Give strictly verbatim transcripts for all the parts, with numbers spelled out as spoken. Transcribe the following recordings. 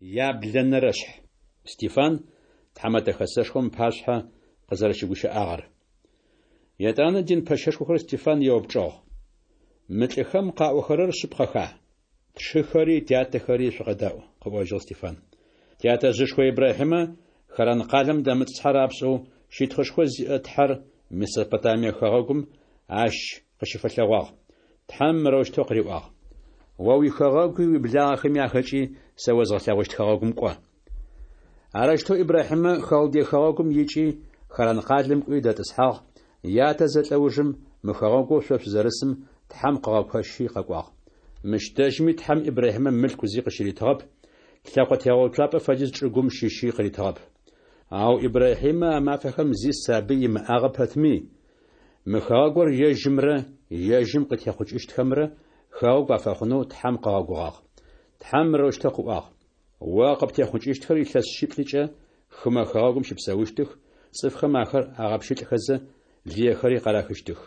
Яблэнэрэшъхь. Стефан Тхьэмэтэ Хэсэшхом ыпашъхьэ къызэрэщыгущыӏагъэр. Етӏанэ дин пэщэшхор Стефан еупчӏыгъ: Мы лӏыхэм къаӏохэрэр шъыпкъэха? Тшыхэри тятэхэри, шъукъэдаӏу, къыӏожьыгъ Стефан. Тятэжъышхо Ибрахьимэ Харан къалэм дэмытӏысхьэ рапшӏэу щытхъушхо зиӏэ Тхьэр Месопотамие хэгъэгум ащ къыщыфэлъэгъуагъ. Тхьэм мырэущтэу къыриӏуагъ: О уихэгъэгуи уиблагъэхэми ахэкӏи сэ озгъэлъэгъущт хэгъэгум кӏо. Арэущтэу Ибрахьимэ Халдей хэгъэгум икӏи, Харан къалэм кӏуи дэтӏысхьагъ, ятэ зэлӏэ ужым мы хэгъэгоу шъо шъузэрысым Тхьэм къыгъэкощи къэкӏуагъ. Мыщ дэжьыми Тхьэм Ибрахьимэ мылъку зи къыщыритыгъэп, лъэкъо тегъэуцуапӏэ фэдиз чӏыгум щыщи къыритыгъэп. Ау Ибрахьимэ а мафэхэм зи сабый имыӏагъэ пэтми, мы хэгъэгур ежьымрэ ежьым къытехъукӏыщтхэмрэ хэгъэгу афэхъунэу Тхьэм къыгъэгугъагъ. Тхьэм мырэущтэу къыӏуагъ: О къыптехъукӏыщтхэр илъэс шъиплӏыкӏэ хымэ хэгъэгум щыпсэущтых, цӏыфхэм ахэр агъэпщылӏхэзэ, лыехэри къарахыщтых.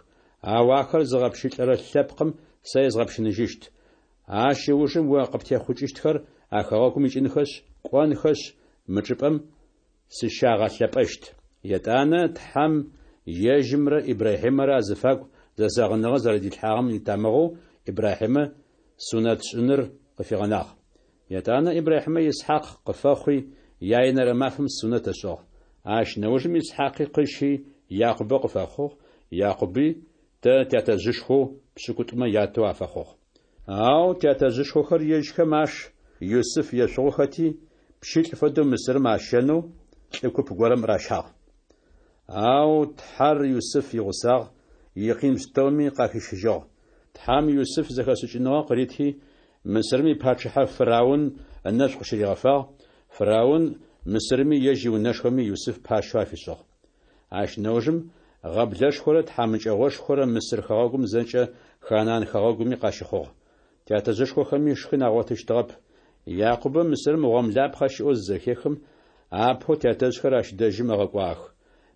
Ау ахэр зыгъэпщылӏырэ лъэпкъым сэ езгъэпщыныжьыщт. Ащ ыужым о къыптехъукӏыщтхэр а хэгъэгум икӏынхэшъ, кӏонхэшъ, мы чӏыпӏэм сыщагъэлъэпӏэщт. Етӏанэ Тхьэм ежьымрэ Ибрахьимэрэ азыфагу зэзэгъыныгъэ зэрэдилъхьагъэм итамыгъэу Ибрахьимэ сунэтшӏыныр къыфигъэнагъ. Етӏанэ Ибрахьимэ Исхьакъ къыфэхъуи, яенэрэ мафэм сунэт ышӏыгъ. Ащ нэужым Исхьакъи къыщи, Якъубэ къыфэхъугъ, Якъуби тэ тятэжъышхэу пшӏыкӏутӏумэ ятэу афэхъугъ. Ау тятэжъышхохэр ежьхэм аш Юсыф ешъугъухэти, пщылӏ фэдэу Мысырым ащэнэу лӏы куп горэм ращагъ. Ау Тхьэр Юсыф игъусагъ, икъин пстэуми къахищыжьыгъ. Тхьэм Юсыф зэхэшӏыкӏыныгъэ къырити, Мысырым ипачъыхьэ Фыраун ынэшӏу къыщыригъэфагъ, Фыраун Мысырыми ежь иунэшхоми Юсыф пащэу афишӏыгъ. Ащ нэужым гъэблэшхорэ тхьамыкӏэгъошхорэ Мысыр хэгъэгум зэкӏэ Ханаан хэгъэгуми къащыхъугъ. Тятэжъышхохэми шхын агъотыщтыгъэп. Якъубэ Мысырым гъомлапхъэ щыӏэу зызэхехым, апэу тятэжъхэр ащ дэжьым ыгъэкӏуагъэх.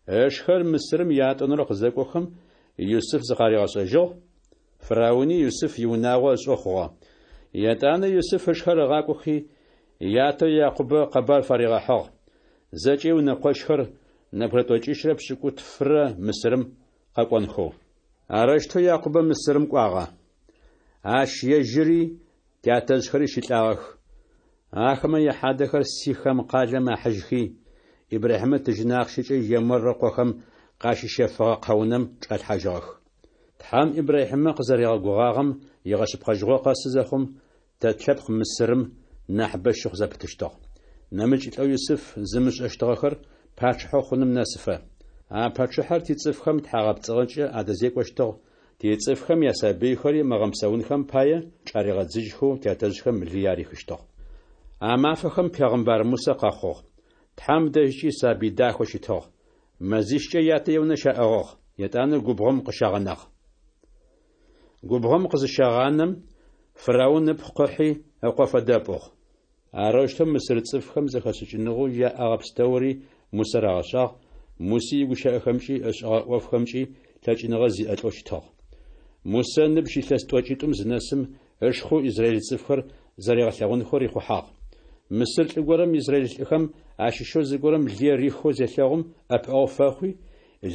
Ышхэр Мысырым ятӏонэрэу къызэкӏохэм, Юсыф зыкъаригъэшӏэжьыгъ, Фырауни Юсыф иунагъо ышӏэу хъугъэ. Етӏанэ Юсыф ышхэр ыгъакӏохи, ятэу Якъубэ къэбар фаригъэхьыгъ: зэкӏэ иунэкъощхэр нэбгырэ тӏокӏищрэ пшӏыкӏутфырэ Мысырым къэкӏонхэу. Арэущтэу Якъубэ Мысырым кӏуагъэ. Ащ ежьыри тятэжъхэри щылӏагъэх. Ахэмэ яхьадэхэр Сихэм къалэм ахьыжьхи, Ибрахьимэ тыжьын ахъщэкӏэ Емор ыкъохэм къащищэфыгъэ къэунэм чӏалъхьажьыгъэх. Тхьэм Ибрахьимэ къызэригъэгугъагъэм игъэшъыпкъэжьыгъо къэсы зэхъум, тэ тлъэпкъ Мысырым нахьыбэ щыхъу зэпытыщтыгъ. Нэмыкӏ лӏэу Юсыф зымышӏэщтыгъэхэр пачъыхьэу хъуным нэсыфэ. А пачъыхьэр тицӏыфхэм тхьагъэпцӏыгъэкӏэ адэзекӏощтыгъ, тицӏыфхэм ясабыйхэри мыгъэмысэунхэм пае чӏаригъэдзыжьхэу тятэжъхэм лые арихыщтыгъ. А мафэхэм пегъымбар Мусэ къэхъугъ. Тхьэм дэжькӏи сабый дахэу щытыгъ. Мэзищкӏэ ятэ иунэ щаӏыгъыгъ, етӏанэ губгъом къыщагъэнагъ. Губгъом къызыщагъанэм, Фыраун ыпхъу къыхьи, ыкъо фэдэ ыпӏугъ. Арэущтэу мысыр цӏыфхэм зэхэшӏыкӏыныгъэу яӏэгъэ пстэури Мусэ рагъэшӏагъ, Муси игущыӏэхэмкӏи ышӏэгъэ ӏофхэмкӏи лъэкӏыныгъэ зиӏэ лӏэу щытыгъ. Мусэ ыныбжь илъэс тӏокӏитӏум зынэсым, ышхэу израиль цӏыфхэр зэригъэлъэгъунхэу рихъухьагъ. Мысыр лӏы горэм израиль лӏыхэм ащыщэу зыгорэм лые рихэу зелъэгъум ӏэпыӏэгъу фэхъуи,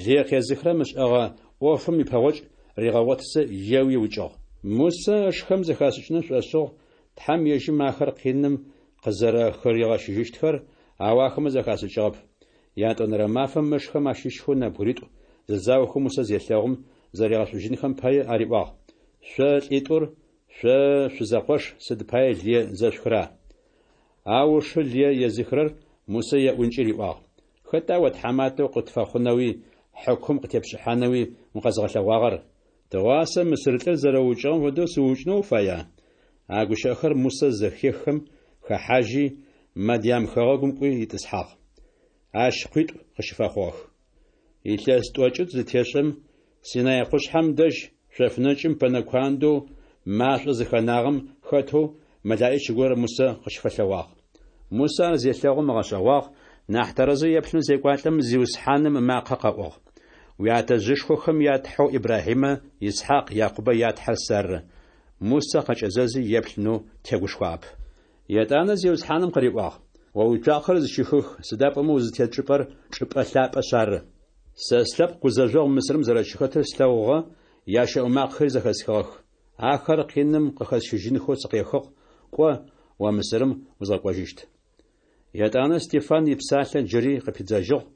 лые къезыхырэм ышӏэгъэ ӏофым ипэгъокӏ ригъэгъотызэ еуи ыукӏыгъ. Мусэ ышхэм зэхашӏыкӏынэу шӏошӏыгъ Тхьэм ежьым ахэр къиным къызэрэхыригъэщыжьыщтхэр, ау ахэмэ зэхашӏыкӏыгъэп. Ятӏонэрэ мафэм ышхэм ащыщхэу нэбгыритӏу зэзаохэу Мусэ зелъэгъум, зэригъэшӏужьынхэм пае ариӏуагъ: Шъо лӏитӏур, шъо шъузэкъош, сыд пае лые зэшъухыра? Ау ышы лые езыхырэр Мусэ еӏункӏи риӏуагъ: Хэта о тхьаматэу къытфэхъунэуи, хьыкум къытепшӏыхьанэуи укъэзгъэлъэгъуагъэр? Тыгъуасэ мысыр лӏыр зэрэуукӏыгъэм фэдэу сыуукӏынэу уфая? А гущыӏэхэр Мусэ зэхеххэм, хэхьажьи, Мадьям хэгъэгум кӏуи итӏысхьагъ. Ащ къуитӏу къыщыфэхъугъэх. Илъэс тӏокӏитӏу зытешӏэм, Синай къушъхьэм дэжь шъофнэкӏым пэнэ куандэу машӏо зыхэнагъэм хэтэу мэлэӏич горэ Мусэ къыщыфэлъэгъуагъ. Мусэ ар зелъэгъум ыгъэшӏэгъуагъ, нахь тэрэзэу еплъынэу зекӏуалӏэм, Зиусхьаным ымакъэ къэӏугъ: Уятэжъышхохэм я Тхьэу Ибрахьимэ, Исхьакъ, Якъубэ я Тхьэр сэры. Мусэ къэкӏэзэзи еплъынэу тегушхуагъэп. Етӏанэ Зиусхьаным къыриӏуагъ, О уицуакъэхэр зыщыхых, сыда пӏомэ узытет чӏыпӏэр чӏыпӏэ лъапӏэшъ ары. Сэ слъэпкъ гузэжъогъу Мысырым зэрэщыхэтыр слъэгъугъэ, ящэӏу макъэхэри зэхэсхыгъэх. Ахэр къиным къыхэсщыжьынхэу сыкъехыгъ, кӏо, о Мысырым узгъэкӏожьыщт. Етӏанэ Стефан ипсалъэ джыри къыпидзэжьыгъ,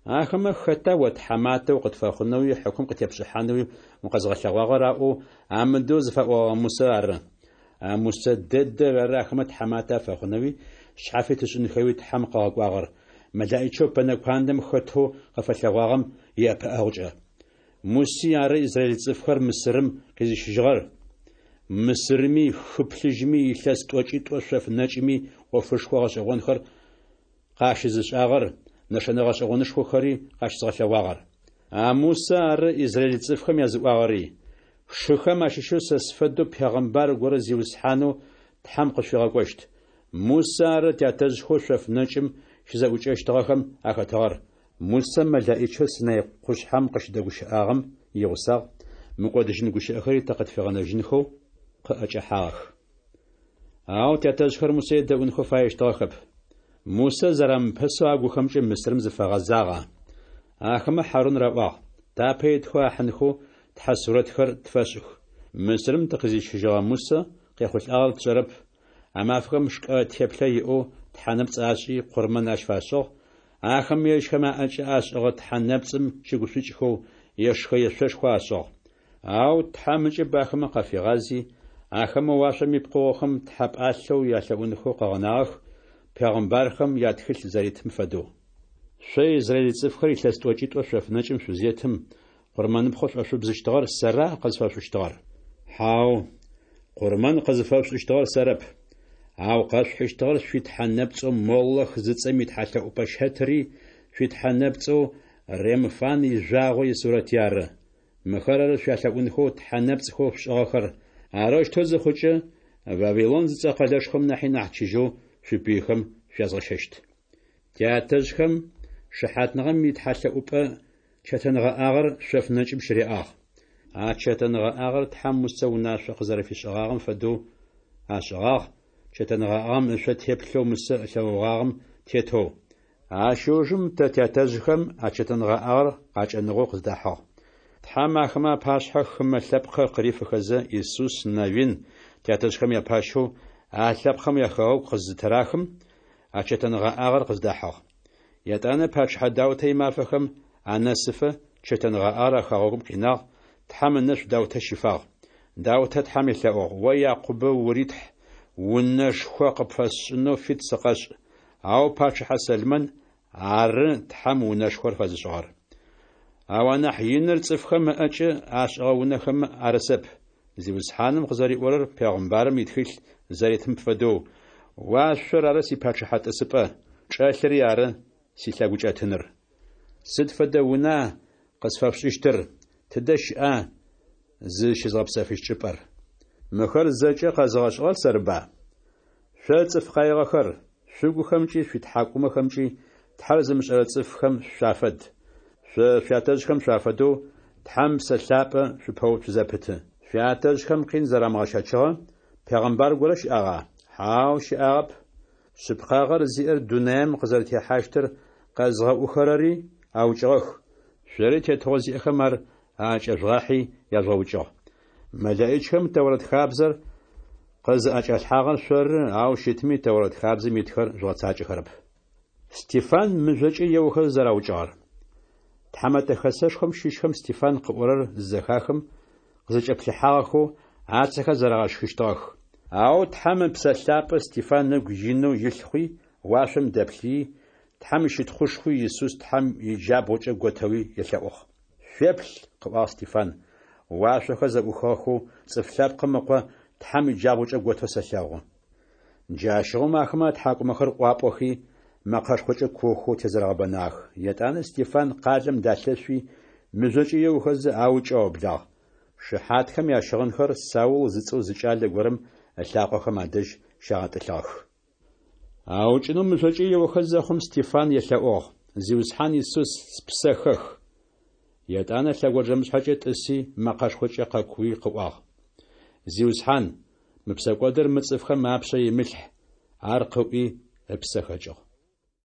Ахэмэ Хэта о тхьаматэ укъытфэхъунэуи хьыкум къытепшӏыхьанэуи укъэзгъэлъэгъуагъэр аӏоу амыдэу зыфаӏогъэгъэ Мусэ ары. А Мусэ дэдэр ары ахэмэ тхьаматэ афэхъунэуи шъхьафит ышӏынхэуи Тхьэм къыгъэкӏуагъэр, мэлэӏичэу пэнэ куандэм хэтэу къыфэлъэгъуагъэм иӏэпыӏэгъукӏэ. Муси ары израиль цӏыфхэр Мысырым къизыщыжьыгъэр, Мысырми, хы Плъыжьми, илъэс тӏокӏитӏо шъоф нэкӏыми ӏофышхо гъэшӏэгъонхэр къащызышӏагъэр, нэшэнэ гъэшӏэгъонышхохэри къащызгъэлъэгъуагъэр. А Мусэ ары израиль цӏыфхэм языӏуагъэри: Шыхэм ащыщэу сэ сфэдэу пегъымбар горэ Зиусхьанэу Тхьэм къышъуфигъэкӏощт. Мусэ ары тятэжъхэу шъоф нэкӏым щызэӏукӏэщтыгъэхэм ахэтыгъэр. Мусэ мэлэӏичэу Синай къушъхьэм къыщыдэгущыӏагъэм игъусагъ, мыкӏодыжьын гущыӏэхэри тэ къытфигъэнэжьынхэу къыӏэкӏэхьагъэх. Ау тятэжъхэр Мусэ едэӏунхэу фаещтыгъэхэп. Мусэ зэрамыпэсэу агухэмкӏэ Мысырым зыфагъэзагъа. Ахэмэ Хьарун раӏуагъ: Тапэ итхэу ахьынхэу тхьэ сурэтхэр тфэшӏых. Мысырым тыкъизыщыжьыгъэ Мусэ къехъулӏагъэр тшӏэрэп. А мафэхэм шкӏэ теплъэ иӏэу тхьэ нэпцӏ ашӏи, къурмэн ащ фашӏыгъ. Ахэмэ ежьхэм аӏэкӏэ ашӏыгъэ тхьэ нэпцӏым щыгушӏукӏхэу ешхэ-ешъошхо ашӏыгъ. Ау Тхьэм ыкӏыб ахэмэ къафигъази, ахэмэ уашъом ипкъыгъохэм тхьэ пӏалъэу ялъэӏунхэу къыгъэнагъэх, пегъымбархэм ятхылъ зэритым фэдэу. Шъо израиль цӏыфхэр илъэс тӏокӏитӏо шъоф нэкӏым шъузетым, къурмэныпхъэу шӏошъубзыщтыгъэр сэра къызфэшъушӏыщтыгъэр? Хьау, къурмэн къызыфэшъушӏыщтыгъэр сэрэп, ау къэшъухьыщтыгъэр шъуитхьэ нэпцӏэу Молох зыцӏэм итхьэлъэӏупӏэ щэтыри, шъуитхьэ нэпцӏэу Ремфан ижъуагъо исурэти ары. Мыхэр ары шъуялъэӏунхэу тхьэ нэпцӏхэу шъушӏыгъэхэр. Арэущтэу зыхъукӏэ, Вавилон зыцӏэ къэлэшхом нахьи нахь чыжьэу шъуипыйхэм шъуязгъэщэщт. Тятэжъхэм шыхьатныгъэм итхьэлъэӏупӏэ чэтэнгъэӏагъэр шъоф нэкӏым щыряӏагъ. А чэтэнгъэӏагъэр Тхьэм Мусэ унашъо къызэрэфишӏыгъагъэм фэдэу ашӏыгъагъ, чэтэнгъэӏагъэм ышъо теплъэу Мусэ ылъэгъугъагъэм тетэу. Ащ ыужым тэ тятэжъхэм а чэтэнгъэӏагъэр къакӏэныгъэу къыздахьыгъ. Тхьэм ахэмэ апашъхьэ хымэ лъэпкъхэр къырифыхэзэ, Исус Навин тятэжъхэм япащэу а лъэпкъхэм яхэгъэгу къызытырахым, а чэтэнгъэӏагъэр къыздахьыгъ. Етӏанэ пачъыхьэ Даутэ имафэхэм анэсыфэ чэтэнгъэӏагъэр а хэгъэгум къинагъ, Тхьэм ынэшӏу Даутэ щифагъ. Даутэ Тхьэм елъэӏугъ: О Якъубэ ури Тхь, унэшхо къыпфэсшӏынэу фит сыкъэшӏ. Ау пачъыхьэ Сэлмэн ары Тхьэм унэшхор фэзышӏыгъэр. Ау анахь иныр цӏыфхэм ыӏэкӏэ ашӏыгъэ унэхэмэ арысэп. Зиусхьаным къызэриӏорэр пегъымбарым итхылъ зэритым фэдэу: Уашъор ары сипачъыхьэ тӏысыпӏэ, чӏылъэри ары силъэгукӏэтыныр. Сыд фэдэ уна къысфэшъушӏыщтыр? Тыдэ щыӏа зызщызгъэпсэфыщт чӏыпӏэр? Мыхэр зэкӏэ къэзыгъэшӏыгъэр сэрыба? Шъо цӏыф къаигъэхэр, шъугухэмкӏи шъуитхьакӏумэхэмкӏи Тхьэр зымышӏэрэ цӏыфхэм шъуафэд. Шъо шъуятэжъхэм шъуафэдэу Тхьэм Ыпсэ Лъапӏэ шъупэуцу зэпыты. Шъуятэжъхэм къин зэрамыгъэщэчыгъэ пегъымбар горэ щыӏагъа? Хьау, щыӏагъэп. Шъыпкъагъэр зиӏэр дунаим къызэрэтехьащтыр къэзгъэӏухэрэри аукӏыгъэх, шъори тетыгъо зиӏэхэм ар аӏэкӏэжъугъахьи яжъугъэукӏыгъ. Мэлэӏичхэм Тэурэт хабзэр къызыӏэкӏалъхьагъэр шъоры, ау щытми Тэурэт хабзэм итхэр жъугъэцакӏэхэрэп. Стефан мыжъокӏэ еохэзэ зэраукӏыгъэр. Тхьэмэтэ хэсэшхом щыщхэм Стефан къыӏорэр зызэхахым, къызэкӏэплъыхьагъэхэу, ацэхэр зэрагъэшхыщтыгъэх. Ау Тхьэм Ыпсэ Лъапӏэ Стефан ыгу инэу илъ хъуи, уашъом дэплъыий, Тхьэм ищытхъушхуи Исус Тхьэм иджабгъукӏэ готэуи елъэӏугъ. Шъуеплъ, къыӏуагъ Стефан, уашъохэр зэӏухыгъэхэу Цӏыф Лъэпкъым Ыкъо Тхьэм иджабгъукӏэ готэу сэлъэгъу. Джащыгъум ахэмэ атхьакӏумэхэр ӏуапӏохи, мэкъэшхокӏэ куохэу тезэрэгъэбэнагъэх. Етӏанэ Стефан къалэм далъэшъуи, мыжъокӏэ еохэзэ аукӏэу аублагъ. Шыхьатхэм ящыгъынхэр Саул зыцӏэу зы кӏалэ горэм ылъакъохэм адэжь щагъэтӏылъыгъэх. Аукӏынэу мыжъокӏэ еохэ зэхъум Стефан елъэӏугъ: Зиусхьан Исус, спсэ хэх! Етӏанэ лъэгонджэмышъхьэкӏэ тӏыси, мэкъэшхокӏэ къэкууи къыӏуагъ: Зиусхьан, мы псэкӏодыр мы цӏыфхэм апшъэ имылъхь! Ар къыӏуи, ыпсэ хэкӏыгъ.